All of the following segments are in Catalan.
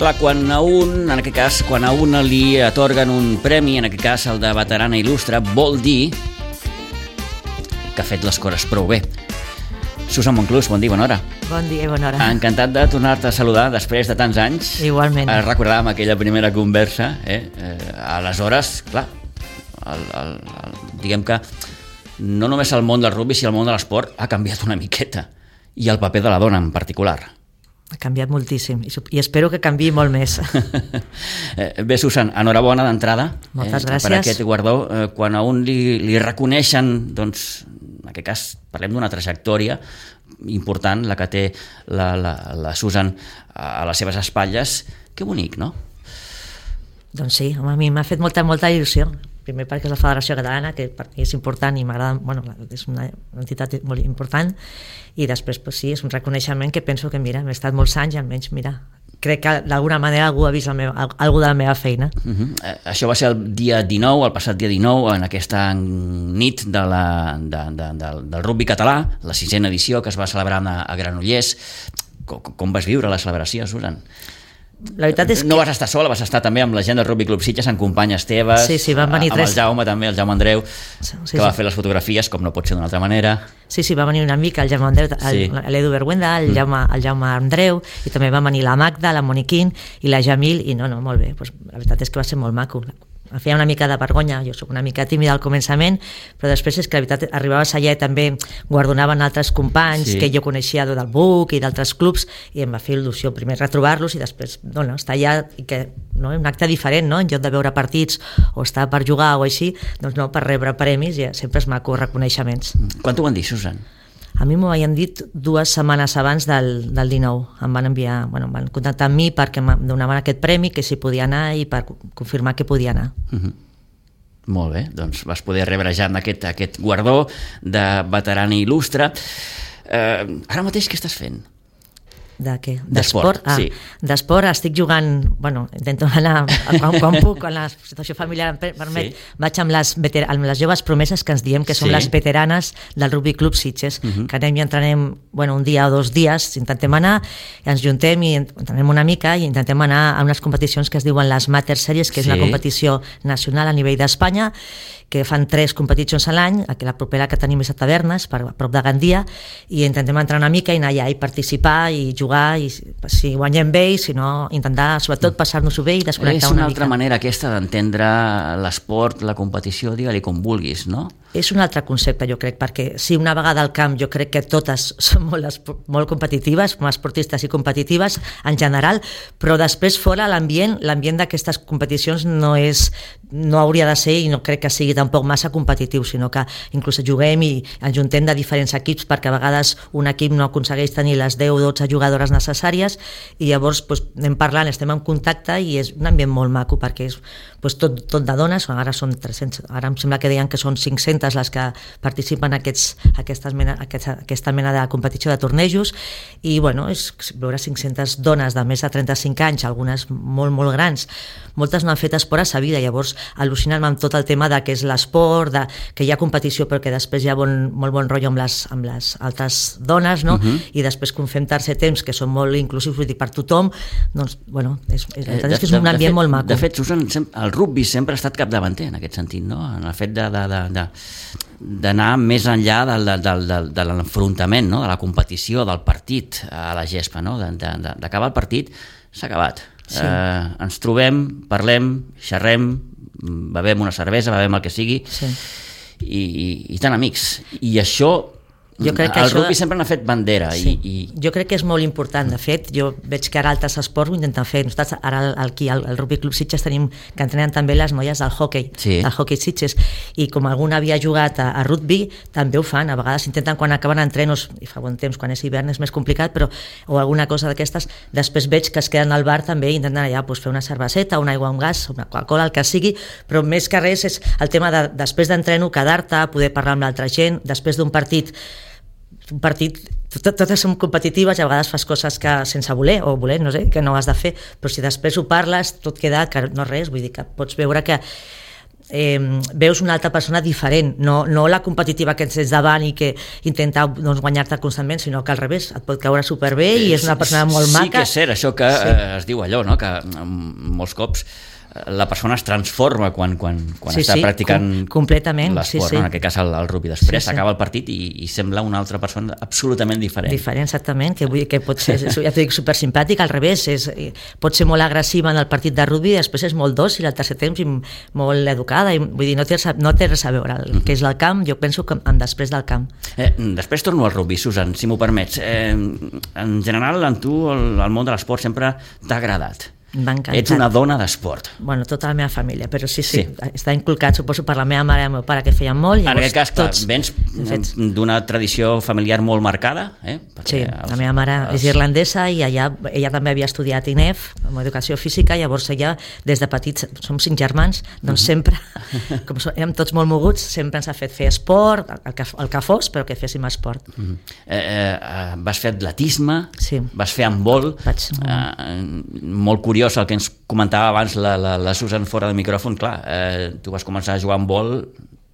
Clar, quan a un li atorguen un premi, en aquest cas el de veterana il·lustre, vol dir que ha fet les coses prou bé. Susan Monclús, bon dia, bona hora. Bon dia i bona hora. Encantat de tornar-te a saludar després de tants anys. Igualment. Recordàvem aquella primera conversa. Aleshores, clar, diguem que no només el món del rugby, sinó el món de l'esport ha canviat una miqueta. I el paper de la dona en particular. Ha canviat moltíssim i espero que canviï molt més. Bé, Susan, enhorabona d'entrada. Moltes gràcies. Per aquest guardó. Quan a un li reconeixen, doncs, en aquest cas parlem d'una trajectòria important, la que té la Susan a les seves espatlles. Que bonic, no? Doncs sí, a mi m'ha fet molta il·lusió. Primer perquè és la Federació Catalana, que per mi és important i m'agrada, és una entitat molt important, i després sí, és un reconeixement que penso que m'he estat molts anys i almenys crec que d'alguna manera algú ha vist alguna de la meva feina. Això va ser el dia 19, el passat dia 19, en aquesta nit del rugby català, la 6ª edició que es va celebrar a Granollers. Com vas viure la celebració, Susan? La veritat és que... No vas estar sola, vas estar també amb la gent del Rugby Club Sitges, amb companyes teves, sí, van venir amb el Jaume també, el Jaume Andreu, que va fer les fotografies, com no pot ser d'una altra manera. Sí, va venir una mica, el Jaume Andreu, l'Edu Berguenda, el Jaume Andreu, i també va venir la Magda, la Moniquín i la Jamil, i no, molt bé, la veritat és que va ser molt maco. Em feia una mica de vergonya, jo soc una mica tímida al començament, però després és que la veritat arribaves allà i també guardonaven altres companys que jo coneixia del BUC i d'altres clubs, i em va fer il·lusió primer retrobar-los i després estar allà, i que un acte diferent, en lloc de veure partits o estar per jugar o així, doncs per rebre premis, i sempre és maco reconeixements. Quan t'ho van dir, Susan? A mi m'ho havien dit 2 setmanes abans del 19. Em van enviar, em van contactar amb mi perquè em donaven aquest premi, que si podia anar i per confirmar que podia anar. Molt bé, doncs vas poder rebre ja aquest guardó de veterana il·lustre. Ara mateix què estàs fent? De què? D'esport, sí. D'esport estic jugant, intento anar quan puc, quan la situació familiar em permet, vaig amb les joves promeses, que ens diem que som les veteranes del Rugby Club Sitges, que anem i entrenem un dia o 2 dies, intentem anar, ens juntem i entrenem una mica i intentem anar a unes competicions que es diuen les Mater Series, que és una competició nacional a nivell d'Espanya, que fan 3 competicions a l'any, la propera que tenim és a Tavernes, a prop de Gandia, i intentem entrar una mica i anar allà i participar i jugar, i si guanyem bé, i si no, intentar sobretot passar-nos-ho bé i desconnectar una mica. És una altra manera aquesta d'entendre l'esport, la competició, digue-li com vulguis, no? És un altre concepte, jo crec, perquè si una vegada al camp jo crec que totes són molt competitives, com a esportistes i competitives en general, però després fora l'ambient d'aquestes competicions no hauria de ser, i no crec que sigui tampoc massa competitiu, sinó que inclús juguem i ens juntem de diferents equips, perquè a vegades un equip no aconsegueix tenir les 10 o 12 jugadores necessàries, i llavors anem parlant, estem en contacte, i és un ambient molt maco, perquè és tot de dones, ara són 300, ara em sembla que deien que són 500 les que participen en aquesta mena de competició de tornejos, i és veure 500 dones de més de 35 anys, algunes molt grans, moltes no han fet esport a sa vida, llavors al·lucinen amb tot el tema de què és l'esport, que hi ha competició però que després hi ha molt bon rotllo amb les altres dones, no? I després quan fem tercer temps, que són molt inclusius, vull dir, per tothom, doncs, és que és un ambient molt maco. De fet, Susan, el rugby sempre ha estat capdavanter en aquest sentit, no? En el fet d'anar més enllà de l'enfrontament, no? De la competició, del partit a la gespa, no? D'acabar el partit, s'ha acabat. Ens trobem, parlem, xerrem, bevem una cervesa, bevem el que sigui, i tan amics. I això... El rugby sempre n'ha fet bandera. Jo crec que és molt important. De fet, jo veig que ara altres esports ho intenten fer. Nosaltres ara al Rugby Club Sitges tenim que entrenen també les noies del hockey, del hockey Sitges, i com alguna havia jugat a rugby, també ho fan. A vegades intenten, quan acaben entrenos, i fa bon temps, quan és hivern és més complicat, però o alguna cosa d'aquestes, després veig que es queden al bar també i intenten allà fer una cerveseta, una aigua amb gas, una Coca-Cola, el que sigui, però més que res és el tema de després d'entreno quedar-te, poder parlar amb l'altra gent, després d'un partit, totes són competitives, i a vegades fas coses que sense voler o voler, no sé, que no has de fer, però si després ho parles tot queda que no res, vull dir que pots veure que veus una altra persona diferent, no la competitiva que tens davant i que intenta guanyar-te constantment, sinó que al revés, et pot caure superbé i és una persona molt maca. Sí que és cert, això que es diu allò, no? Que molts cops la persona es transforma quan està practicant l'esport, en aquest cas el rugby. Després s'acaba el partit i sembla una altra persona absolutament diferent. Diferent, exactament, que vull dir que pot ser, ja t'ho dic, supersimpàtic, al revés, pot ser molt agressiva en el partit de rugby i després és molt dòcil al tercer temps i molt educada, i vull dir, no té res a veure el que és el camp, jo penso que després del camp. Després torno al rugby, Susan, si m'ho permets. En general, en tu el món de l'esport sempre t'ha agradat. Ets una dona d'esport. Bueno, tota la meva família, però sí, està inculcat, suposo, per la meva mare i el meu pare, que feien molt. En aquest cas, clar, vens d'una tradició familiar molt marcada. Sí, la meva mare és irlandesa i ella també havia estudiat INEF, amb educació física, llavors ella, des de petits, som 5 germans, doncs sempre, com érem tots molt moguts, sempre ens ha fet fer esport, el que fos, però que féssim esport. Vas fer atletisme, vas fer handbol, molt curiós el que ens comentava abans la Susan fora de micròfon. Clar, tu vas començar a jugar a handbol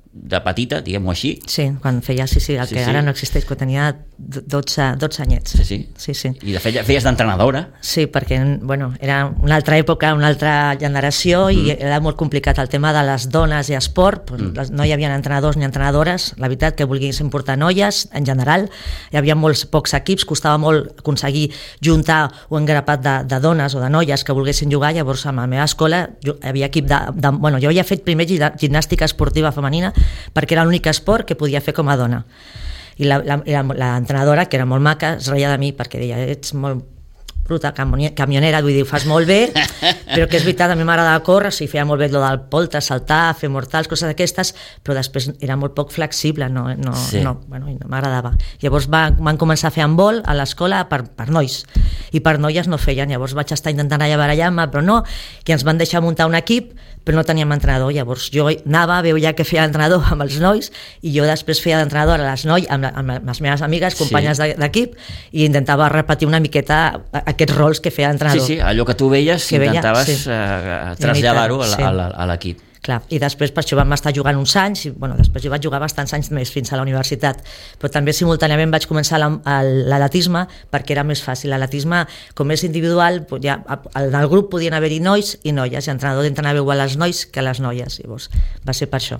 de petita, diguem-ho així. Sí, quan feia, el que ara no existeix, quan tenia 12 anyets. Sí. I de fet feies d'entrenadora. Sí, perquè era una altra època, una altra generació i era molt complicat el tema de les dones i esport, no hi havia entrenadors ni entrenadores, la veritat que volguessin portar noies, en general, hi havia molts pocs equips, costava molt aconseguir juntar un grapat de dones o de noies que volguessin jugar, llavors a la meva escola hi havia equip jo havia fet primer gimnàstica esportiva femenina perquè era l'únic esport que podia fer com a dona. I l'entrenadora, que era molt maca, es reia de mi perquè deia, ets molt bruta, camionera, vull dir, ho fas molt bé, però que és veritat, a mi m'agradava córrer, sí, feia molt bé el del poltre, saltar, fer mortals, coses d'aquestes, però després era molt poc flexible, no m'agradava. Llavors van començar a fer handbol a l'escola per nois, i per noies no feien, llavors vaig estar intentant allà barallar-me, però no, i ens van deixar muntar un equip, però no teníem entrenador, llavors jo anava, veia que feia entrenador amb els nois i jo després feia d'entrenador amb les meves amigues, companyes d'equip, i intentava repetir una miqueta aquests rols que feia d'entrenador. Sí, allò que tu veies intentaves traslladar-ho a l'equip. Clar, i després per això vam estar jugant uns anys i després jo vaig jugar bastants anys més fins a la universitat, però també simultàniament vaig començar l'atletisme perquè era més fàcil. L'atletisme, com és individual, en el grup podien haver-hi nois i noies, i l'entrenador entrenava igual als nois que a les noies, llavors va ser per això.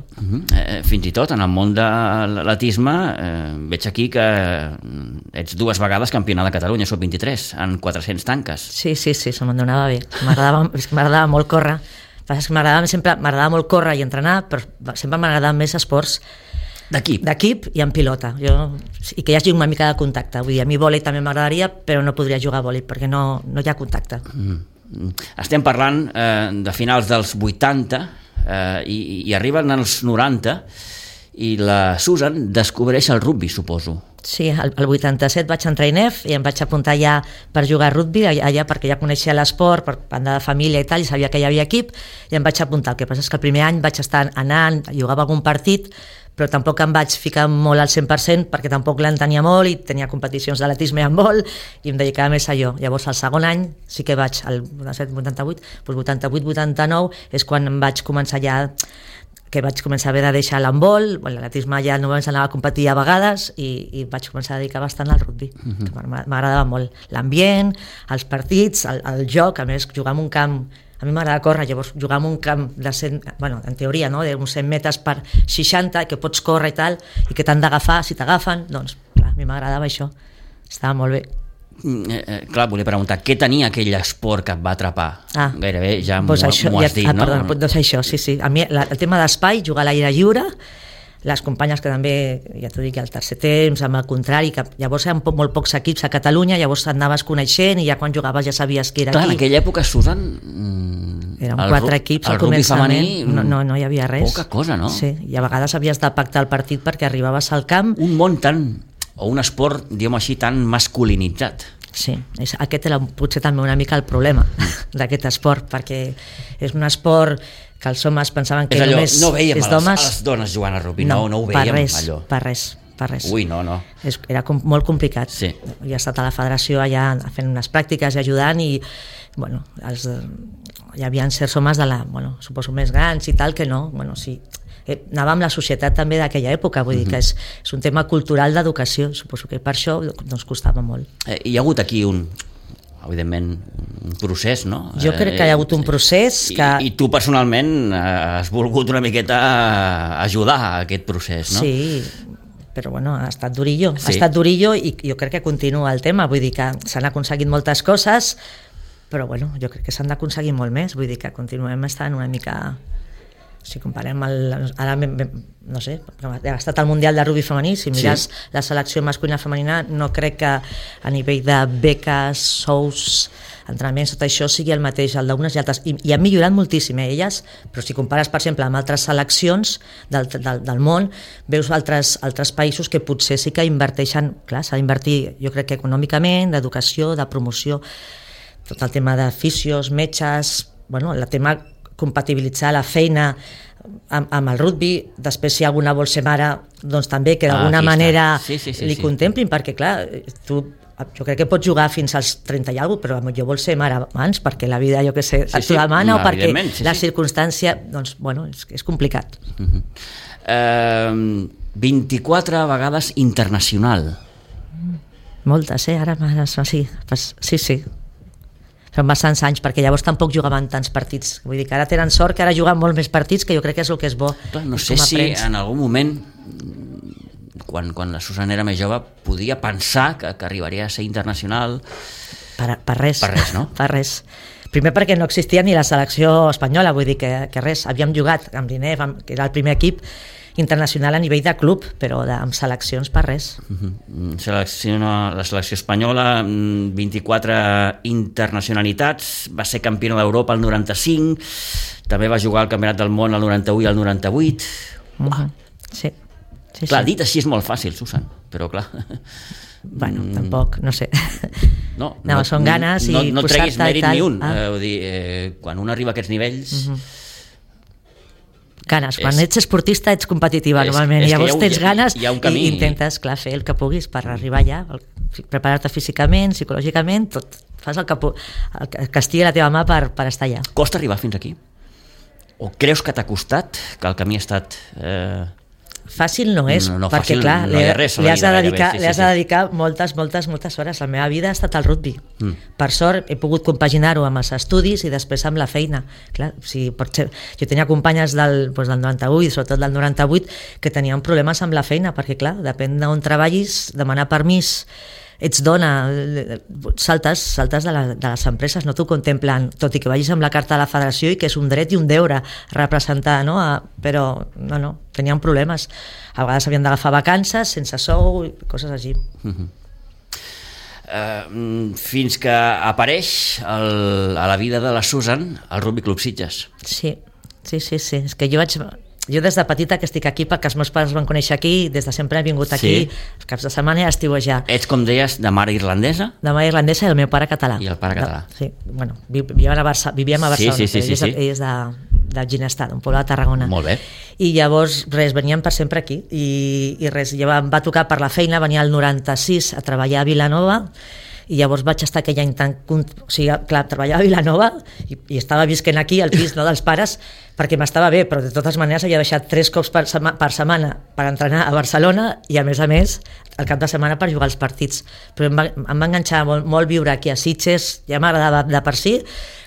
Fins i tot en el món de l'atletisme veig aquí que ets 2 vegades campiona de Catalunya, sub-23, en 400 tanques. Sí, se'm donava bé, m'agradava molt córrer. M'agradava molt córrer i entrenar, però sempre m'agradaven més esports d'equip i en pilota, i que hi hagi una mica de contacte. Vull dir, a mi vòlei també m'agradaria, però no podria jugar a vòlei perquè no hi ha contacte. Estem parlant de finals dels 80 i arriben als 90 i la Susan descobreix el rugby, suposo. Sí, el 87 vaig entrar a INEF i em vaig apuntar ja per jugar a rugby, allà perquè ja coneixia l'esport, per banda de família i tal, i sabia que hi havia equip, i em vaig apuntar. El que passa és que el primer any vaig estar anant, jugava algun partit, però tampoc em vaig ficar molt al 100% perquè tampoc l'entenia molt i tenia competicions d'atletisme i handbol i em dedicava més a allò. Llavors el segon any sí que vaig, el 88-89 és quan em vaig començar ja que vaig començar a haver de deixar l'handbol, l'atletisme ja no ens anava a competir a vegades i vaig començar a dedicar bastant al rugby, que m'agradava molt l'ambient, els partits, el joc, a més jugar en un camp, a mi m'agrada córrer, llavors jugar en un camp de 100, en teoria, no? D'uns 100 metres per 60, que pots córrer i tal, i que t'han d'agafar, si t'agafen, doncs clar, a mi m'agradava això, estava molt bé. Clar, volia preguntar, què tenia aquell esport que et va atrapar? Gairebé ja m'ho has dit, no? Perdona, doncs això, sí. A mi el tema d'espai, jugar a l'aire lliure, les companyes que també, ja t'ho dic, al tercer temps, amb el contrari, que llavors eren molt pocs equips a Catalunya, llavors anaves coneixent i ja quan jugaves ja sabies que era aquí. Clar, en aquella època, Susan, eren 4 equips al començament, no hi havia res. Poca cosa, no? Sí, i a vegades havies de pactar el partit perquè arribaves al camp. Un món o un esport, diguem així, tan masculinitzat. Sí, aquest era potser també una mica el problema d'aquest esport, perquè és un esport que els homes pensaven que només és d'homes. No veiem les dones jugant a rugby, no ho veiem allò. Per res. per res. Ui, no. Era molt complicat. Sí. Jo he estat a la federació allà fent unes pràctiques i ajudant i, bueno, hi havia certs homes suposo més grans i tal, que no, sí, anava amb la societat també d'aquella època, vull dir que és un tema cultural d'educació, suposo que per això doncs costava molt. Hi ha hagut aquí evidentment, un procés, no? Jo crec que hi ha hagut un procés que... I tu personalment has volgut una miqueta ajudar a aquest procés, no? Sí, però bueno, ha estat durillo. Sí. Ha estat durillo i jo crec que continua el tema, vull dir que s'han aconseguit moltes coses, però bueno, jo crec que s'han d'aconseguir molt més, vull dir que continuem estant una mica... Si comparem ara, no sé, ha estat el Mundial de Rugby femení, si mires la selecció masculina femenina, no crec que a nivell de beques, sous, entrenaments, tot això sigui el mateix, el d'unes i altres, i han millorat moltíssim elles, però si compares, per exemple, amb altres seleccions del món, veus altres països que potser sí que inverteixen, clar, s'ha d'invertir, jo crec que econòmicament, d'educació, de promoció, tot el tema de fisios, metges, bueno, el tema compatibilitzar la feina amb el rugby, després si alguna vol ser mare, doncs també que d'alguna manera li contemplin, perquè clar, tu jo crec que pots jugar fins als 30 i alguna cosa, però jo vol ser mare abans, perquè la vida, jo què sé, et demana, o perquè la circumstància, doncs, bueno, és complicat. 24 vegades internacional. Moltes, ara sí. Sí. Són bastants anys, perquè llavors tampoc jugaven tants partits. Vull dir que ara tenen sort, que ara juguen molt més partits, que jo crec que és el que és bo. Clar, no sé si en algun moment, quan la Susan era més jove, podia pensar que arribaria a ser internacional. Per res. Per res, no? Per res. Primer perquè no existia ni la selecció espanyola, vull dir que res. Havíem jugat amb l'INEF, que era el primer equip internacional a nivell de club, però amb seleccions per res. La selecció espanyola, 24 internacionalitats, va ser campiona d'Europa el 95, també va jugar al Campionat del Món el 91 i el 98. Sí. Clar, dit així és molt fàcil, Susan, però clar... Bueno, tampoc, no sé. No, són ganes i no treguis mèrit ni un. Vull dir, quan un arriba a aquests nivells... Ganes, quan ets esportista ets competitiva normalment, i llavors tens ganes i intentes, clar, fer el que puguis per arribar allà, preparar-te físicament, psicològicament, tot, fas el que estigui a la teva mà per estar allà. Costa arribar fins aquí? O creus que t'ha costat, que el camí ha estat... Fàcil no és, perquè fàcil, clar, li has de dedicar moltes hores. La meva vida ha estat el rugby. Per sort he pogut compaginar-ho amb els estudis i després amb la feina. Clar, jo tenia companyes del 98, sobretot del 98, que tenien problemes amb la feina, perquè clar, depèn d'on treballis, demanar permís, ets dona, saltes de les empreses, no t'ho contemplen, tot i que vagis amb la carta de la federació i que és un dret i un deure representar, no? Però no, tenien problemes. A vegades havien d'agafar vacances sense sou i coses així. Fins que apareix a la vida de la Susan el Rugby Club Sitges. Sí. És que jo des de petita que estic aquí perquè els meus pares van conèixer aquí, des de sempre he vingut aquí, els caps de setmana i a estiuejar. Ets, com deies, de mare irlandesa? De mare irlandesa i el meu pare català. I el pare català. Sí, bueno, vivíem a Barcelona, ell és de Ginestar, un poble de Tarragona. Molt bé. I llavors, veníem per sempre aquí, i res, em va tocar per la feina, venia al 96 a treballar a Vilanova, i llavors vaig estar aquell any treballava a Vilanova i estava visquent aquí al pis dels pares perquè m'estava bé, però de totes maneres havia deixat 3 cops per setmana per entrenar a Barcelona i a més el cap de setmana per jugar als partits, però em va enganxar molt viure aquí a Sitges, ja m'agradava de per si,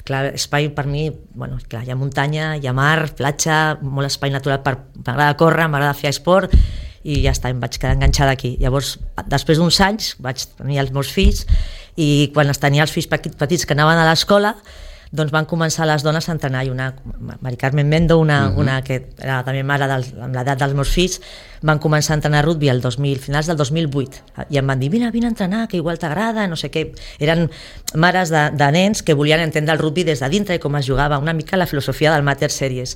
clar, espai per mi, bueno, clar, hi ha muntanya, hi ha mar, platja, molt espai natural, m'agrada córrer, m'agrada fer esport, i ja està, em vaig quedar enganxada aquí. Llavors, després d'uns anys, vaig tenir els meus fills i quan tenia els fills petits que anaven a l'escola, doncs van començar les dones a entrenar, i una, Mari Carmen Mendo, una que era també mare amb l'edat dels meus fills, van començar a entrenar rugby finals del 2008, i em van dir, vine a entrenar, que igual t'agrada, no sé què. Eren mares de nens que volien entendre el rugby des de dintre i com es jugava, una mica la filosofia del Mater Series.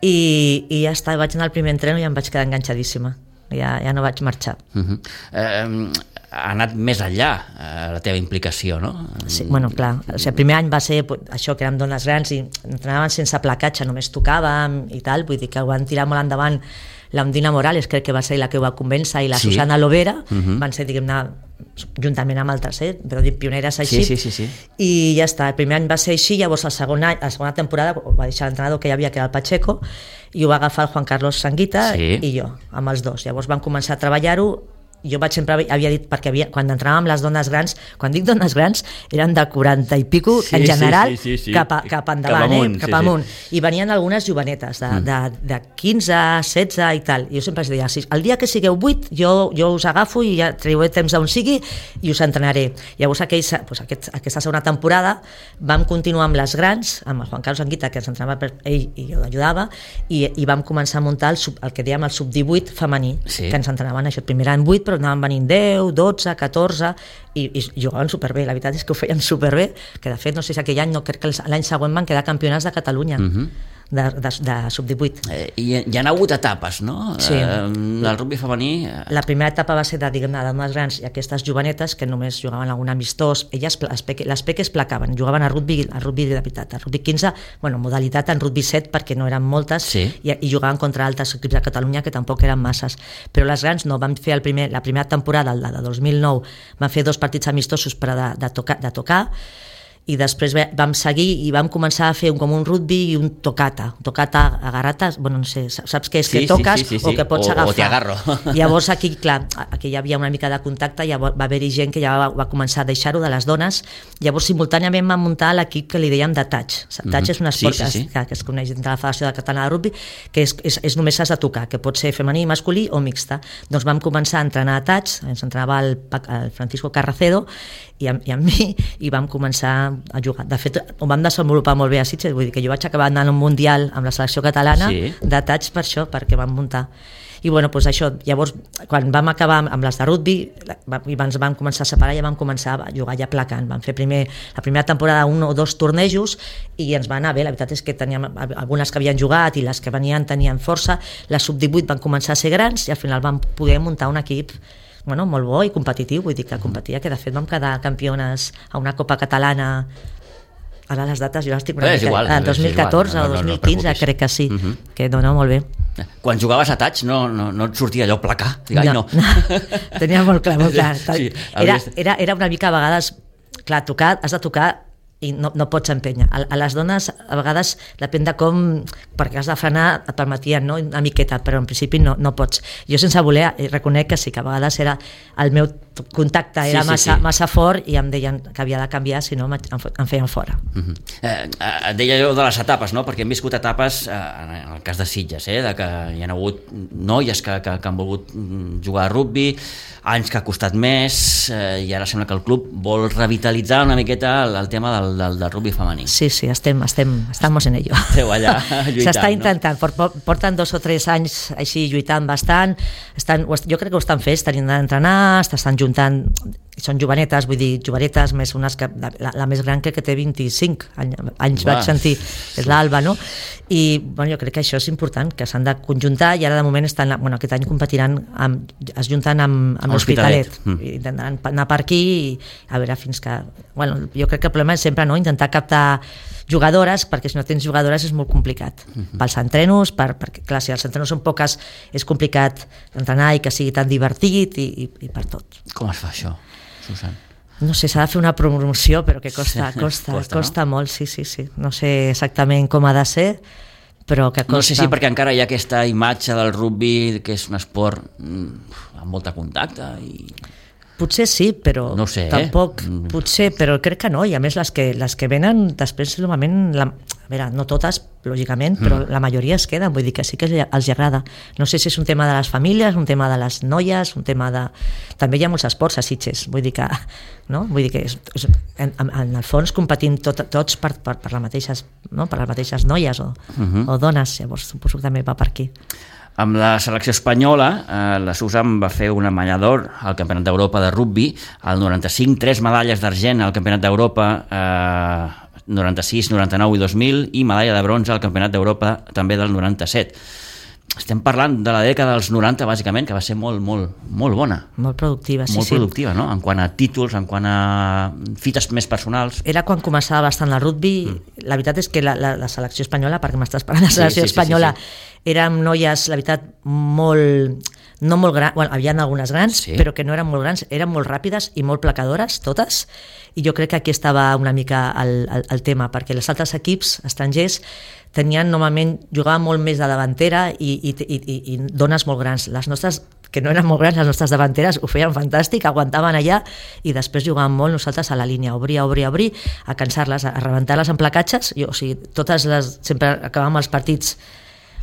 I ja està, vaig anar al primer entreno i em vaig quedar enganxadíssima. ja no vaig marxar. Ha anat més enllà la teva implicació, no? Sí, bueno, clar, o sigui, el primer any va ser això, que érem dones grans i entrenaven sense placatge, només tocàvem i tal, vull dir que ho van tirar molt endavant. L'Ondina Morales crec que va ser la que ho va convèncer i la Susana Lovera van ser, diguem-ne, juntament amb altres, però dir pioneres així. Sí. I ja està, el primer any va ser així, llavors la segona temporada ho va deixar l'entrenador que hi havia, que era el Pacheco, i ho va agafar el Juan Carlos Sanguita i jo, amb els dos. Llavors vam començar a treballar-ho. Jo sempre havia dit, perquè quan entrenàvem les dones grans, quan dic dones grans, eren de 40 i pico, en general, cap endavant, cap amunt. I venien algunes jovenetes, de 15, 16 i tal. I jo sempre els deia, el dia que sigueu 8, jo us agafo i ja traieu temps d'on sigui i us entrenaré. Llavors aquesta segona temporada vam continuar amb les grans, amb el Juan Carlos Anguita, que ens entrenava per ell i jo l'ajudava, i vam començar a muntar el que dèiem el sub-18 femení, que ens entrenaven això, primer eren 8, però anaven venint 10, 12, 14 i jugaven superbé, la veritat és que ho feien superbé, que de fet no sé si aquell any, no crec que l'any següent van quedar campionats de Catalunya de sub-18. I hi ha hagut etapes, no? Sí. El rugby femení... La primera etapa va ser de dones grans i aquestes jovenetes que només jugaven algun amistós, elles les peques placaven, jugaven a rugby de veritat, a rugby 15, bueno, modalitat en rugby 7 perquè no eren moltes, i jugaven contra altres equips de Catalunya que tampoc eren masses, però les grans no, vam fer la primera temporada, la de 2009, vam fer 2 partits amistosos per de tocar, i després vam seguir i vam començar a fer com un rugby i un tocata agarrates, bueno, no sé, saps què és, que toques o que pots agafar. O te agarro. Llavors aquí, clar, aquí hi havia una mica de contacte, ja va haver-hi gent que ja va començar a deixar-ho de les dones, llavors simultàniament vam muntar l'equip que li dèiem de touch. Touch és un esport que es coneix dintre la Federació Catalana de Rugby, que és només has de tocar, que pot ser femení, masculí o mixta. Doncs vam començar a entrenar a touch, ens entrenava el Francisco Carracedo i amb mi, i vam començar a jugar. De fet, ho vam desenvolupar molt bé a Sitges, vull dir que jo vaig acabar anant a un mundial amb la selecció catalana de touch per això, perquè vam muntar. I bueno, doncs això, llavors, quan vam acabar amb les de rugby, i ens vam començar a separar, ja vam començar a jugar ja placant. Vam fer la primera temporada 1 o 2 tornejos i ens va anar bé. La veritat és que teníem algunes que havien jugat i les que venien tenien força. Les sub-18 van començar a ser grans i al final vam poder muntar un equip molt bo i competitiu, vull dir que competia, que de fet vam quedar campiones a una Copa Catalana, ara les dates jo les estic una mica, en 2014 o 2015 crec que sí, que no, molt bé. Quan jugaves a touch no et sortia allò placar? No. Tenia molt clar. Era una mica a vegades, clar, has de tocar i no pots empènyer. A les dones a vegades depèn de com, perquè has de frenar et permetien, no? Una miqueta, però en principi no pots. Jo sense voler reconec que sí, que a vegades el meu contacte era massa fort i em deien que havia de canviar, si no em feien fora. Et deia jo de les etapes, no? Perquè hem viscut etapes, en el cas de Sitges, de que hi ha hagut noies que han volgut jugar a rugby, anys que ha costat més, i ara sembla que el club vol revitalitzar una miqueta el tema del rugby femení. Sí, estamos en ello. Esteu allà lluitant, s'està intentant, no? Porten 2 o 3 anys així lluitant bastant, jo crec que ho estan fent, estan d'entrenar, estan juntant, són jovenetes, vull dir, jovenetes més unes que, la més gran crec que té 25 anys, vaig sentir, és l'Alba, no? I bueno, jo crec que això és important, que s'han de conjuntar, i ara de moment aquest any competiran, es junten amb l'Hospitalet, intentaran anar per aquí i a veure fins que... Bueno, jo crec que el problema és sempre intentar captar jugadores, perquè si no tens jugadores és molt complicat. Pels entrenos, perquè clar, si els entrenos són poques és complicat entrenar i que sigui tan divertit i per tot. Com es fa això, Susan? No sé, s'ha de fer una promoció, però que costa molt, sí. No sé exactament com ha de ser, però que costa. No sé si perquè encara hi ha aquesta imatge del rugby, que és un esport amb molt de contacte i... Potser sí, però no sé, tampoc, potser, però crec que no, i a més les que venen després normalment, a veure, no totes lògicament, però la majoria es queden, vull dir que sí que els agrada. No sé si és un tema de les famílies, un tema de les noies, un tema de... També hi ha molts esports a Sitges, vull dir que en el fons competim tots per les mateixes noies o dones, llavors suposo que també va per aquí. Amb la selecció espanyola, la Susan va fer una medalla d'or al Campionat d'Europa de rugby, al 95, 3 medalles d'argent al Campionat d'Europa 96, 99 i 2000, i medalla de bronze al Campionat d'Europa també del 97. estem parlant de la dècada dels 90, bàsicament, que va ser molt bona. Molt productiva, sí. Molt productiva, no? En quant a títols, en quant a fites més personals. Era quan començava bastant el rugby. La veritat és que la selecció espanyola, perquè m'estàs parlant de la selecció espanyola, érem noies, la veritat, no molt grans, bueno, hi havia algunes grans, però que no eren molt grans, eren molt ràpides i molt placadores, totes, i jo crec que aquí estava una mica el tema, perquè els altres equips estrangers normalment jugaven molt més de davantera i dones molt grans. Les nostres, que no eren molt grans, les nostres davanteres ho feien fantàstic, aguantaven allà i després jugàvem molt nosaltres a la línia, obrir, a cansar-les, a rebentar-les en placatges, o sigui, sempre acabàvem els partits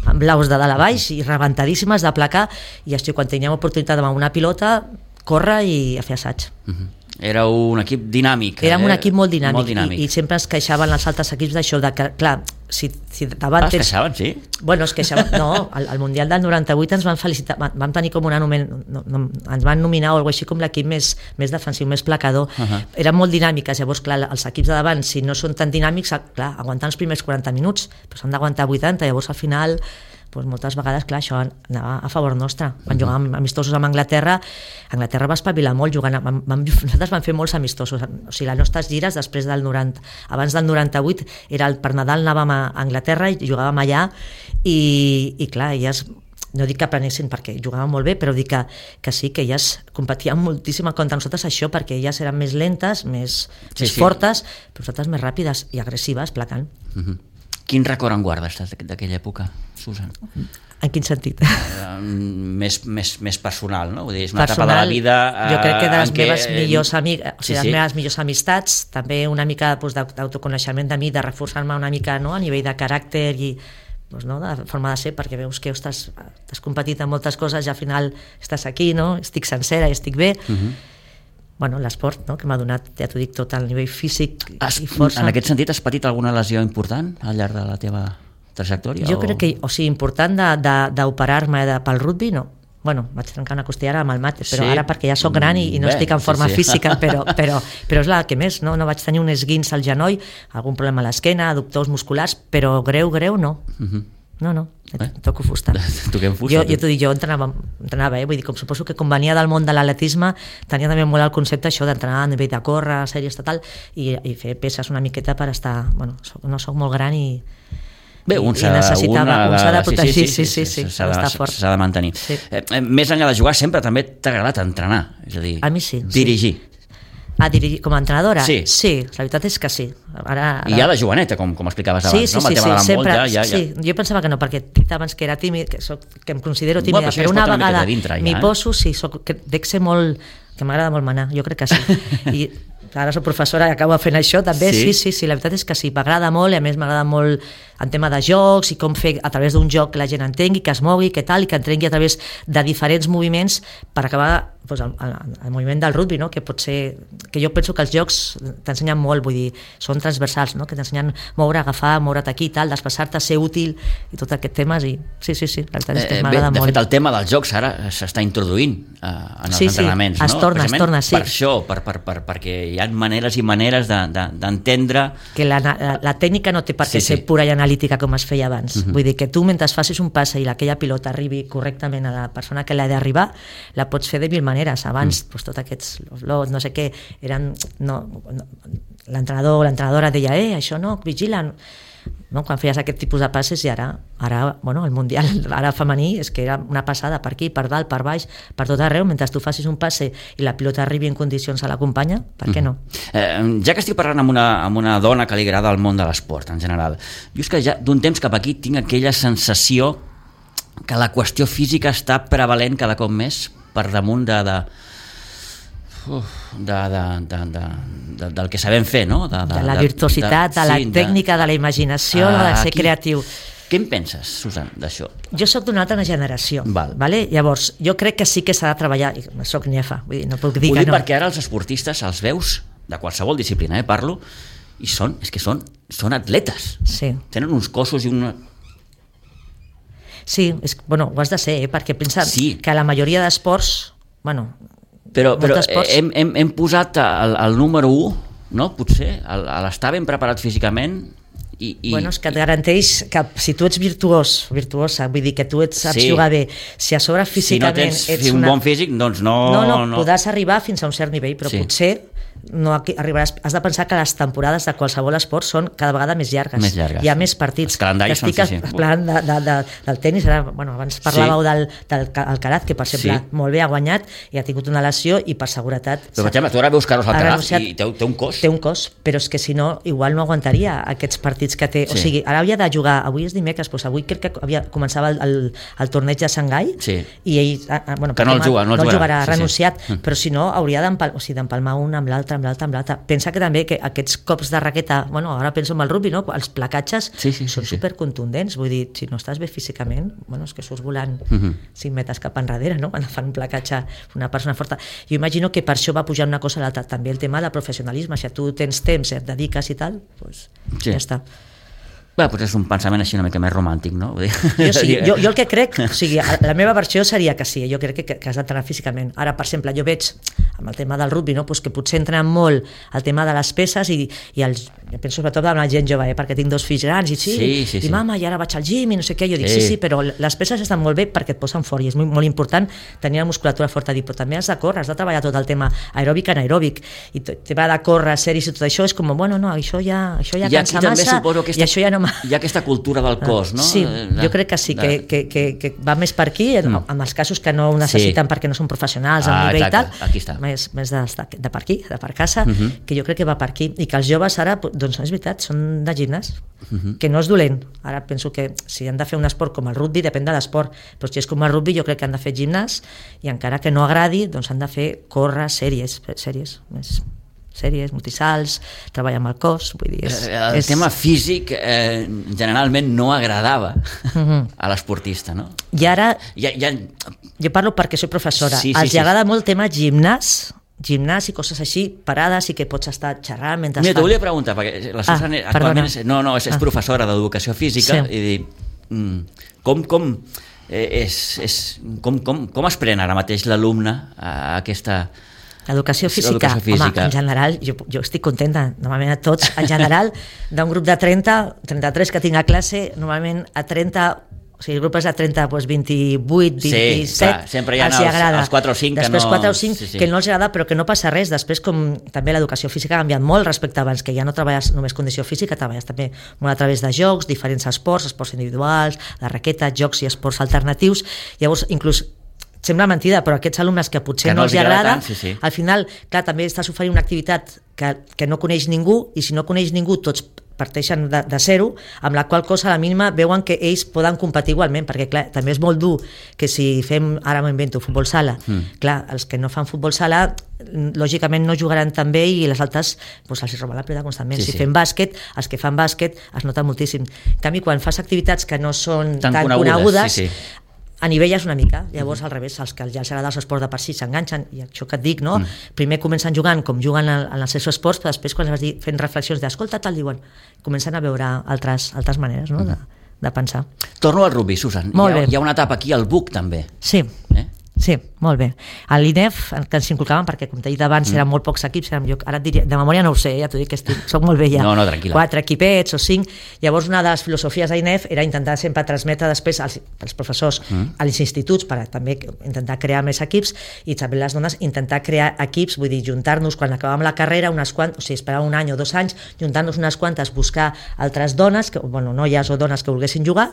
amb blaus de dalt a baix i rebentadíssimes de placar, i això, quan teníem oportunitat amb una pilota, córrer i a fer assaig. Era un equip dinàmic. Érem un equip molt dinàmic. I sempre es queixaven els altres equips d'això, de que, clar, si davant... Es queixaven, sí? Bueno, es queixaven... No, al Mundial del 98 ens van felicitar, vam tenir com ens van nominar o alguna cosa així com l'equip més defensiu, més placador. Eren molt dinàmiques, llavors, clar, els equips de davant, si no són tan dinàmics, clar, aguantant els primers 40 minuts, però s'han d'aguantar 80, llavors al final... Doncs moltes vegades, clar, això anava a favor nostre. Quan jugàvem amistosos amb Anglaterra va espavilar molt jugant. Nosaltres vam fer molts amistosos. O sigui, les nostres gires després del 90, abans del 98, per Nadal anàvem a Anglaterra i jugàvem allà i clar, elles no dic que aprenessin perquè jugaven molt bé, però dic que sí, que elles competien moltíssim contra nosaltres això, perquè elles eren més lentes, més fortes, però nosaltres més ràpides i agressives, placant. Quin record en guardes d'aquella època, Susan? En quin sentit? Més personal, no? Vull dir, és una etapa de la vida... Jo crec que de les meves millors amigues, o sigui, les meves millors amistats, també una mica d'autoconeixement de mi, de reforçar-me una mica, no?, a nivell de caràcter i de forma de ser, perquè veus que has competit en moltes coses i al final estàs aquí, no? Estic sencera i estic bé. Bueno, l'esport, no?, que m'ha donat, ja t'ho dic, tot el nivell físic i força. En aquest sentit, has patit alguna lesió important al llarg de la teva trajectòria? Jo crec que, o sigui, important d'operar-me pel rugby, no. Bueno, vaig trencar una costella amb el mate, però ara perquè ja soc gran i no estic en forma física, però és la que més, no vaig tenir un esguins al genoll, algun problema a l'esquena, adductors musculars, però greu, no. No, toco fusta. Toquem fusta. Jo t'ho dic, jo entrenava, vull dir, com suposo que com venia del món de l'atletisme, tenia també molt el concepte això d'entrenar a nivell de córrer, sèrie estatal, i fer peces una miqueta per estar... Bueno, no soc molt gran i... Bé, un s'ha de protegir, sí, s'ha de mantenir. Més enllà de jugar, sempre també t'ha agradat entrenar, és a dir, a mi sí, dirigir. Dirigir com a entrenadora? Sí, la veritat és que sí. Ara... I ja de joveneta, com explicaves abans, no? Sempre. Sí, jo pensava que no, perquè abans que era tímid, que em considero tímida, però una vegada m'hi poso, dec ser molt... que m'agrada molt manar, jo crec que sí. I ara soc professora i acabo fent això també, sí, la veritat és que sí, m'agrada molt, i a més m'agrada molt en tema de jocs i com fer a través d'un joc que la gent entengui, que es mogui, que tal, i que entengui a través de diferents moviments per acabar el moviment del rugby, no? Que pot ser, que jo penso que els jocs t'ensenyen molt, vull dir, són transversals, no? Que t'ensenyen moure, agafar, moure't aquí, tal, desplaçar-te, ser útil i tot aquest temes, i sí, la veritat és que m'agrada molt. De fet, el tema dels jocs ara s'està introduint en els entrenaments, no? Es torna, sí. Per això, perquè hi ha maneres i maneres d'entendre... Que la tècnica no té per què ser pura i analítica com es feia abans. Vull dir que tu, mentre facis un passe i aquella pilota arribi correctament a la persona que l'ha d'arribar, la pots fer de mil maneres. Abans, tots aquests lots, no sé què, eren... L'entrenador o l'entrenadora deia, això no, vigila... No? Quan feies aquest tipus de passes, i ara el Mundial ara femení és que era una passada per aquí, per dalt, per baix, per tot arreu, mentre tu facis un passe i la pilota arribi en condicions a la companya, per què no? Ja que estic parlant amb una dona que li agrada el món de l'esport en general, jo és que ja d'un temps cap aquí tinc aquella sensació que la qüestió física està prevalent cada cop més per damunt del que sabem fer, no? De la virtuositat, de la tècnica, de la imaginació, de ser creatiu. Què en penses, Susan, d'això? Jo sóc d'una altra generació, vale? Llavors, jo crec que sí que s'ha de treballar, soc nefa, vull dir, no puc dir que no. Perquè ara els esportistes els veus, de qualsevol disciplina, parlo, i són atletes. Sí. Tenen uns cossos i una... Sí, ho has de ser, perquè pensa que la majoria d'esports, però hem posat el número 1, no? Potser, a l'estar ben preparat físicament Bueno, és que et garanteix que si tu ets virtuosa, vull dir que tu saps jugar bé, si a sobre físicament si no tens un bon físic, doncs no... podràs arribar fins a un cert nivell, però potser no arribaràs. Has de pensar que les temporades de qualsevol esport són cada vegada més llargues. Hi ha més partits. Els calendaris són, sí. Plan del tenis, abans parlàveu del Alcaraz, que per exemple molt bé ha guanyat i ha tingut una lesió i per seguretat... Però per exemple, tu ara veus Carlos Alcaraz i té un cos. Té un cos, però és que si no, igual no aguantaria aquests partits que té. O sigui, ara havia de jugar, avui és dimecres, doncs avui crec que començava el torneig de Xangai i ell... que no el jugarà, ha renunciat, però si no hauria d'empalmar un amb l'altre. Pensa que també que aquests cops de raqueta, ara penso en el rugby, no? Els placatges són supercontundents, vull dir, si no estàs bé físicament, és que surts volant 5 metres cap enrere, no? Quan fan un placatge una persona forta. Jo imagino que per això va pujar una cosa a l'altra, també el tema del professionalisme, si tu tens temps, et dediques i tal, doncs ja està. Potser és un pensament així una mica més romàntic, no? Jo el que crec, o sigui, la meva versió seria que sí, jo crec que has d'entrenar físicament. Ara, per exemple, jo veig amb el tema del rugby, no? Que potser entrenen molt el tema de les peces i jo penso sobretot en la gent jove, perquè tinc 2 fills grans i mama, i ara vaig al gym i no sé què, jo dic sí, però les peces estan molt bé perquè et posen fort i és molt important tenir la musculatura forta, però també has de córrer, has de treballar tot el tema aeròbic, anaeròbic, i el tema de córrer, sèries i tot això és com, això ja cansa massa i això ja no... Hi ha aquesta cultura del cos, no? Sí, jo crec que sí, que va més per aquí, en els casos que no ho necessiten perquè no són professionals al nivell i tal, més de per aquí, de per casa, que jo crec que va per aquí, i que els joves ara, doncs és veritat, són de gimnàs, que no és dolent. Ara penso que si han de fer un esport com el rugby, depèn de l'esport, però si és com el rugby jo crec que han de fer gimnàs, i encara que no agradi, doncs han de fer córrer sèries més multisalts, treballar amb el cos, vull dir... El tema físic generalment no agradava a l'esportista, no? I ara, jo parlo perquè soc professora, els agrada molt el tema gimnàs i coses així, parades i que pots estar xerrant mentre... Mira, t'ho volia preguntar, perquè la Susan actualment és professora d'educació física i dir, com es pren ara mateix l'alumne a aquesta... L'educació física, home, en general, jo estic contenta, normalment a tots, en general, d'un grup de 33 que tinc a classe, normalment a 30, o sigui, el grup és a 30, doncs 28, 27, sempre hi ha els 4 o 5 que no... Després 4 o 5 que no els agrada, però que no passa res, després com també l'educació física ha canviat molt respecte a abans, que ja no treballes només condició física, treballes també molt a través de jocs, diferents esports individuals, de raqueta, jocs i esports alternatius, llavors inclús sembla mentida, però aquests alumnes que potser no els agrada, al final, clar, també estàs oferint una activitat que no coneix ningú, i si no coneix ningú tots parteixen de zero, amb la qual cosa a la mínima veuen que ells poden competir igualment, perquè clar, també és molt dur que si fem, ara m'invento, futbol sala, clar, els que no fan futbol sala lògicament no jugaran tan bé i les altres doncs els roben la pilota constantment. Si fem bàsquet, els que fan bàsquet es nota moltíssim. En canvi, quan fas activitats que no són tan conegudes, anivelles una mica, llavors al revés, els que ja els agrada els esports de per si s'enganxen, i això que et dic, no? Primer comencen jugant com juguen en els seus esports, però després quan vas dir fent reflexions d'escolta, tal, diuen, comencen a veure altres maneres, no? De pensar. Torno al rugby, Susan. Hi ha una etapa aquí al BUC també. Sí, molt bé. A l'INEF, que ens inculcaven, perquè com t'he dit abans eren molt pocs equips, ara et diria, de memòria no ho sé, ja t'ho dic, soc molt vella. No, tranquil·la. 4 equipets o 5, llavors una de les filosofies d'INEF era intentar sempre transmetre després als professors als instituts, per també intentar crear més equips, i també les dones intentar crear equips, vull dir, juntar-nos quan acabàvem la carrera, esperar un any o 2 anys, juntar-nos unes quantes, buscar altres dones, noies o dones que volguessin jugar,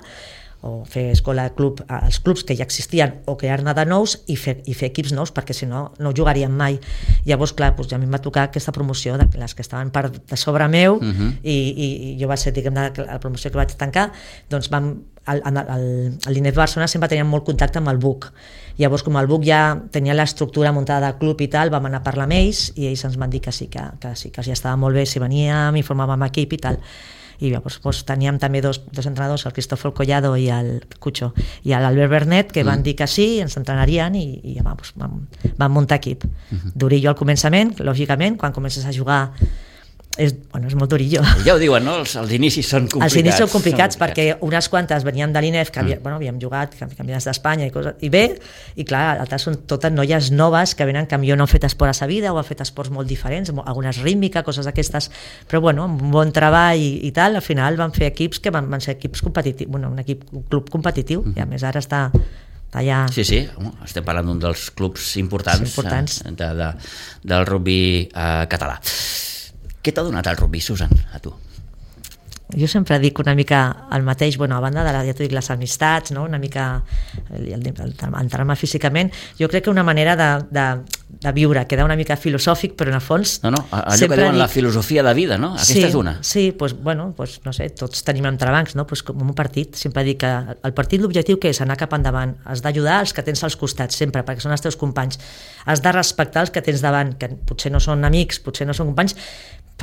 o fer escola club als clubs que ja existien o crear-ne de nous i fer equips nous, perquè si no jugaríem mai. Llavors, clar, ja a mi em va tocar aquesta promoció de les que estaven per de sobre meu i jo va ser, diguem, la promoció que vaig tancar, doncs l'INEF Barcelona sempre teníem molt contacte amb el BUC. Llavors, com el BUC ja tenia l'estructura muntada de club i tal, vam anar a parlar amb ells i ells ens van dir que sí, que ja estava molt bé si veníem, informàvem equip i tal. I llavors teníem també dos entrenadors, el Cristófol Collado i el Cucho i l'Albert Bernet, que van dir que sí, ens entrenarien i vam muntar equip. Durillo al començament, lògicament, quan comences a jugar és molt durillo. Ja ho diuen, no? Els inicis són complicats. Els inicis són complicats perquè unes quantes venien de l'INEF, que havíem jugat campionats d'Espanya i bé, i clar, altres són totes noies noves que venen que millor no han fet esport a sa vida o han fet esports molt diferents, algunes rítmica, coses d'aquestes, però bueno, amb un bon treball i tal, al final van fer equips que van ser equips competitius, un club competitiu, i a més ara està allà... Sí, estem parlant d'un dels clubs importants. Del rugby català. Què t'ha donat el rugby, Susan, a tu? Jo sempre dic una mica el mateix, a banda de ja t'ho dic, les amistats, no? Una mica entrar-me físicament, jo crec que una manera de viure, queda una mica filosòfic, però en el fons... allò que diuen la filosofia de vida, no? Aquesta és una. Sí, no sé, tots tenim entrebancs, no? Com un partit, sempre dic que el partit l'objectiu que és anar cap endavant, has d'ajudar els que tens als costats, sempre, perquè són els teus companys, has de respectar els que tens davant, que potser no són amics, potser no són companys,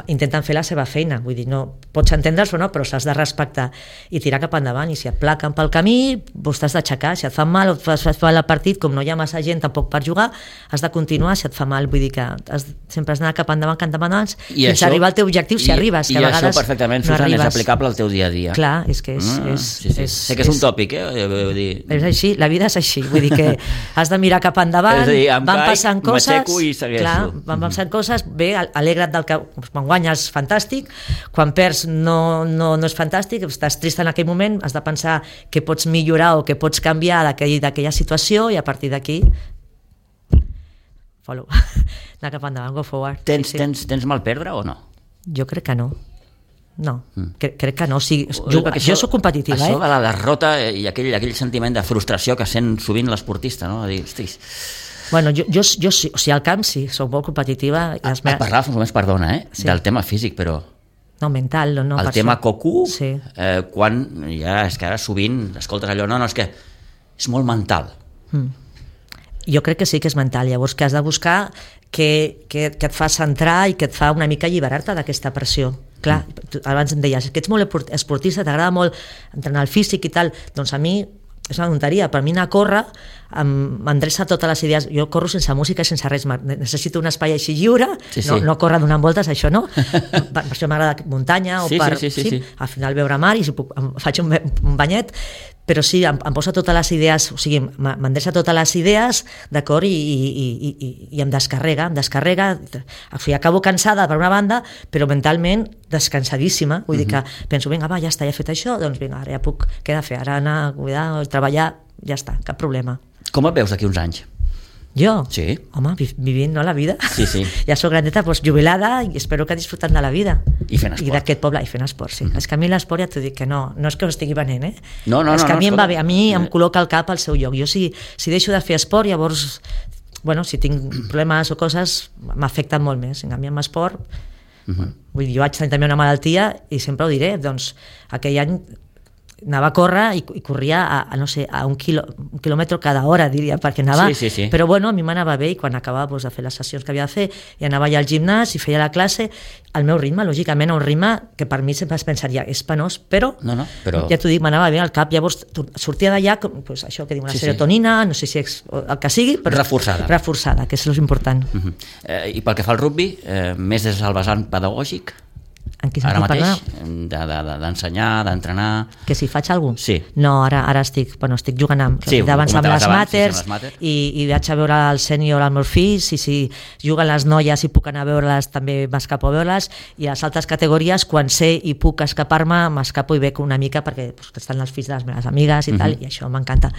intenten fer la seva feina, vull dir, no pots entendre'ls o no, però s'has de respectar i tirar cap endavant, i si et plaquen pel camí vos t'has d'aixecar, si et fan mal o fas mal el partit, com no hi ha massa gent tampoc per jugar, has de continuar, si et fa mal, vull dir que sempre has d'anar cap endavant fins a arribar al teu objectiu, si arribes, que a vegades això perfectament, Susan, és aplicable al teu dia a dia. Clar, és que sé que és un tòpic, és així, la vida és així, vull dir que has de mirar cap endavant, van passant coses, van passant coses, bé, alegra't del que quan guanyes fantàstic, quan perds no és fantàstic, estàs trist en aquell moment, has de pensar què pots millorar o què pots canviar d'aquella situació, i a partir d'aquí anar cap endavant, go forward. Tens mal perdre o no? Jo crec que no. Crec que no. Jo soc competitiva. Això de la derrota i aquell sentiment de frustració que sent sovint l'esportista, no? A dir, hostis... Bueno, jo sí, o sigui, al camp sí, soc molt competitiva. Parlaves només, perdona, del tema físic, però... No, mental, no. El tema coco, sí. Quan ja és que ara sovint escoltes allò, no, és que és molt mental. Jo crec que sí que és mental, llavors que has de buscar que et fa centrar i que et fa una mica alliberar-te d'aquesta pressió. Clar, abans em deies que ets molt esportista, t'agrada molt entrenar el físic i tal, doncs a mi és una tonteria, per mi anar a córrer m'endreça totes les idees, jo corro sense música i sense res, necessito un espai així lliure, no córrer donant voltes, això no, per això m'agrada muntanya o al final veure mar i si puc, faig un banyet, però sí, em posa totes les idees, o sigui, m'endreça totes les idees, d'acord, i em descarrega, o sigui, acabo cansada per una banda, però mentalment descansadíssima, vull dir que penso, vinga, va, ja està, ja he fet això, doncs vinga, ara ja puc, què he de fer, ara anar a cuidar, treballar, ja està, cap problema. Com et veus d'aquí uns anys? Jo? Sí. Home, vivint, no, la vida. Sí. Ja soc grandeta, doncs, jubilada, i espero que disfrutant de la vida. I fent esport. I d'aquest poble, i fent esport, sí. És que a mi l'esport ja t'ho dic que no és que ho estigui venent, No, és que a mi em va bé, a mi em col·loca el cap al seu lloc. Jo si deixo de fer esport, llavors, si tinc problemes o coses, m'afecten molt més. En canvi, amb esport, vull dir, jo vaig tenir també una malaltia, i sempre ho diré, doncs, aquell any anava a córrer i corria a un quilòmetre cada hora, diria, perquè anava... Sí. Però bueno, a mi m'anava bé, i quan acabava de fer les sessions que havia de fer, i anava allà al gimnàs i feia la classe, al meu ritme, lògicament, un ritme que per mi sempre es pensaria, és penós, però ja t'ho dic, m'anava bé al cap, llavors sortia d'allà, això que diu, una serotonina, no sé si és el que sigui, però... Reforçada, que és l'important. I pel que fa al rugby, més des del vessant pedagògic? Ara mateix, d'ensenyar, d'entrenar... Que si faig alguna cosa? Sí. No, ara estic jugant amb les màters, i vaig a veure el sènior als meus fills, i si juguen les noies i puc anar a veure-les, també m'escapo a veure-les, i a les altres categories, quan sé i puc escapar-me, m'escapo i bec una mica, perquè estan els fills de les meves amigues i tal, i això m'encanta.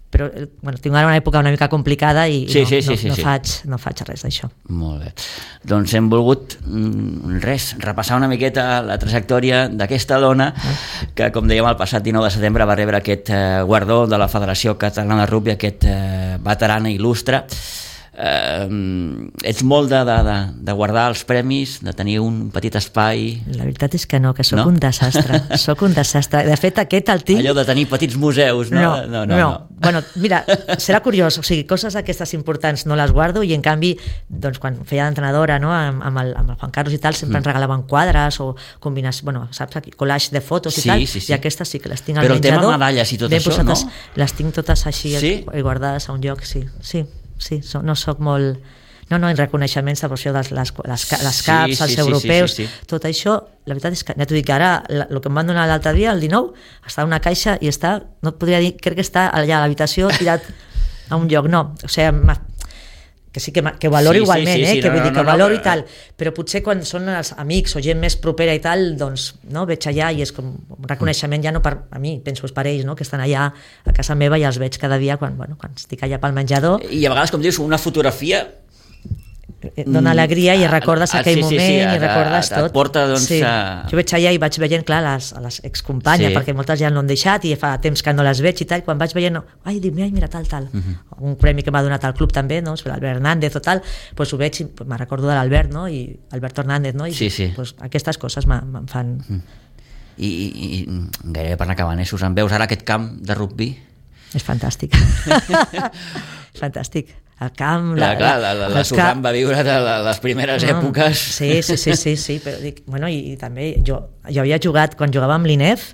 Però tinc ara una època una mica complicada i no faig res d'això. Molt bé. Doncs hem volgut repassar una miqueta la trajectòria d'aquesta dona que, com dèiem, el passat 19 de setembre va rebre aquest guardó de la Federació Catalana de Rugby, aquest veterana il·lustre. Ets molt de guardar els premis, de tenir un petit espai? La veritat és que no, que sóc un desastre. Sóc un desastre. De fet, aquest el tinc... Allò de tenir petits museus, no? No. Bueno, mira, serà curiós, o sigui, coses aquestes importants no les guardo, i en canvi, doncs, quan feia d'entrenadora, no, amb el Juan Carlos i tal, sempre ens regalaven quadres o combinacions, saps, collage de fotos i tal, i aquestes sí que les tinc al menjador. Però el tema medalles i tot això, no? Les tinc totes així guardades a un lloc, sí, no sóc molt... No, en reconeixements de les CAPs, els europeus, tot això, la veritat és que, ja t'ho dic, ara el que em van donar l'altre dia, el 19, està en una caixa i està, no et podria dir, crec que està allà a l'habitació tirat a un lloc, no, o sigui, que sí que ho valoro igualment, que vull dir que ho valoro i tal, però potser quan són els amics o gent més propera i tal, doncs veig allà i és com un reconeixement ja no per a mi, penso per ells, que estan allà a casa meva i els veig cada dia quan estic allà pel menjador. I a vegades, com dius, una fotografia dona alegria i recordes aquell moment i recordes tot. Et porta, doncs... Jo veig allà i vaig veient, clar, a les excompanyes, perquè moltes ja l'han deixat i fa temps que no les veig i tal, quan vaig veient, dic, mira, tal. Un premi que m'ha donat al club també, l'Albert Hernández o tal, doncs ho veig i me'n recordo de l'Albert, i Alberto Hernández, i aquestes coses me'n fan... I gairebé per anar acabant, Susan, veus ara aquest camp de rugbi? És fantàstic. És fantàstic. El camp... La Susan va viure de les primeres èpoques. Sí, però dic, i també jo havia jugat, quan jugava amb l'INEF,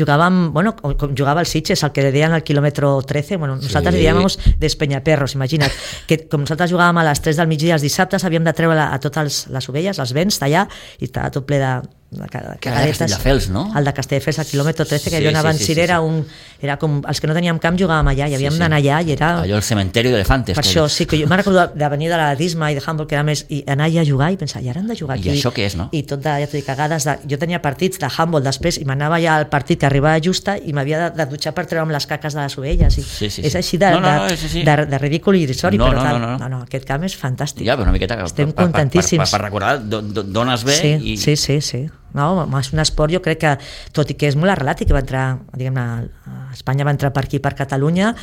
com jugava el Sitges, el que deien al quilòmetre 13, nosaltres dèiem d'Espenyaperros, imagina't, que com nosaltres jugàvem a les 3 del migdia els dissabtes, havíem de treure a totes les ovelles, els vents, tallar, i estava tot ple de cagadetes. Castelldefels, no? El de Castelldefels, al quilòmetre 13, que jo anava en Sir, era com els que no teníem camp jugàvem allà, i havíem d'anar allà, i era... Allò el cementeri d'elefantes. Per això, sí, que jo me'n recordo de venir de l'Adisma i de Humboldt, que era més, i anar allà a jugar i pensar, i ara hem de jugar aquí. I això què és, no? I tot de, ja t'ho dic, cagades, jo tenia partits de Humboldt després, i m'anava ja al partit que arribava justa, i m'havia de dutxar per treure'm les caques de les ovelles, és així de ridícul i irrisori, però tal. No, aquest camp és fantàstic. Ja, però una miqueta... Estem contentíssims. Per recordar d'on es ve i... Sí. No, és un esport, jo crec que, tot i que és molt arrelat i que va entrar, diguem-ne, Espanya va entrar per aquí, per Catalunya,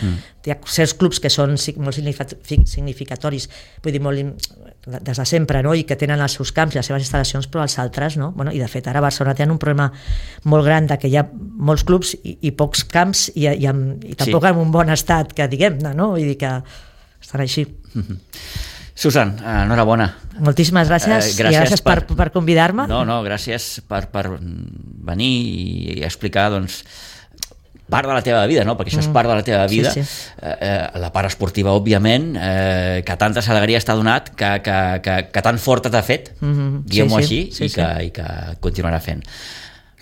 hi ha certs clubs que són molt significatoris, vull dir, molt des de sempre, i que tenen els seus camps i les seves instal·lacions, però els altres no, i de fet ara a Barcelona tenen un problema molt gran de que hi ha molts clubs i pocs camps i tampoc en un bon estat, que diguem-ne, vull dir que estan així. Susan, enhorabona. Moltíssimes gràcies, i gràcies per convidar-me. No, gràcies per venir i explicar, doncs, part de la teva vida, perquè això és part de la teva vida, la part esportiva, òbviament, que tantes alegries t'ha donat, que tan forta t'ha fet, diguem-ho així, i que continuarà fent.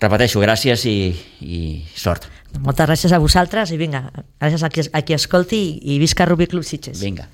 Repeteixo, gràcies i sort. Moltes gràcies a vosaltres i vinga, gràcies a qui escolti i visca Rugby Club Sitges. Vinga.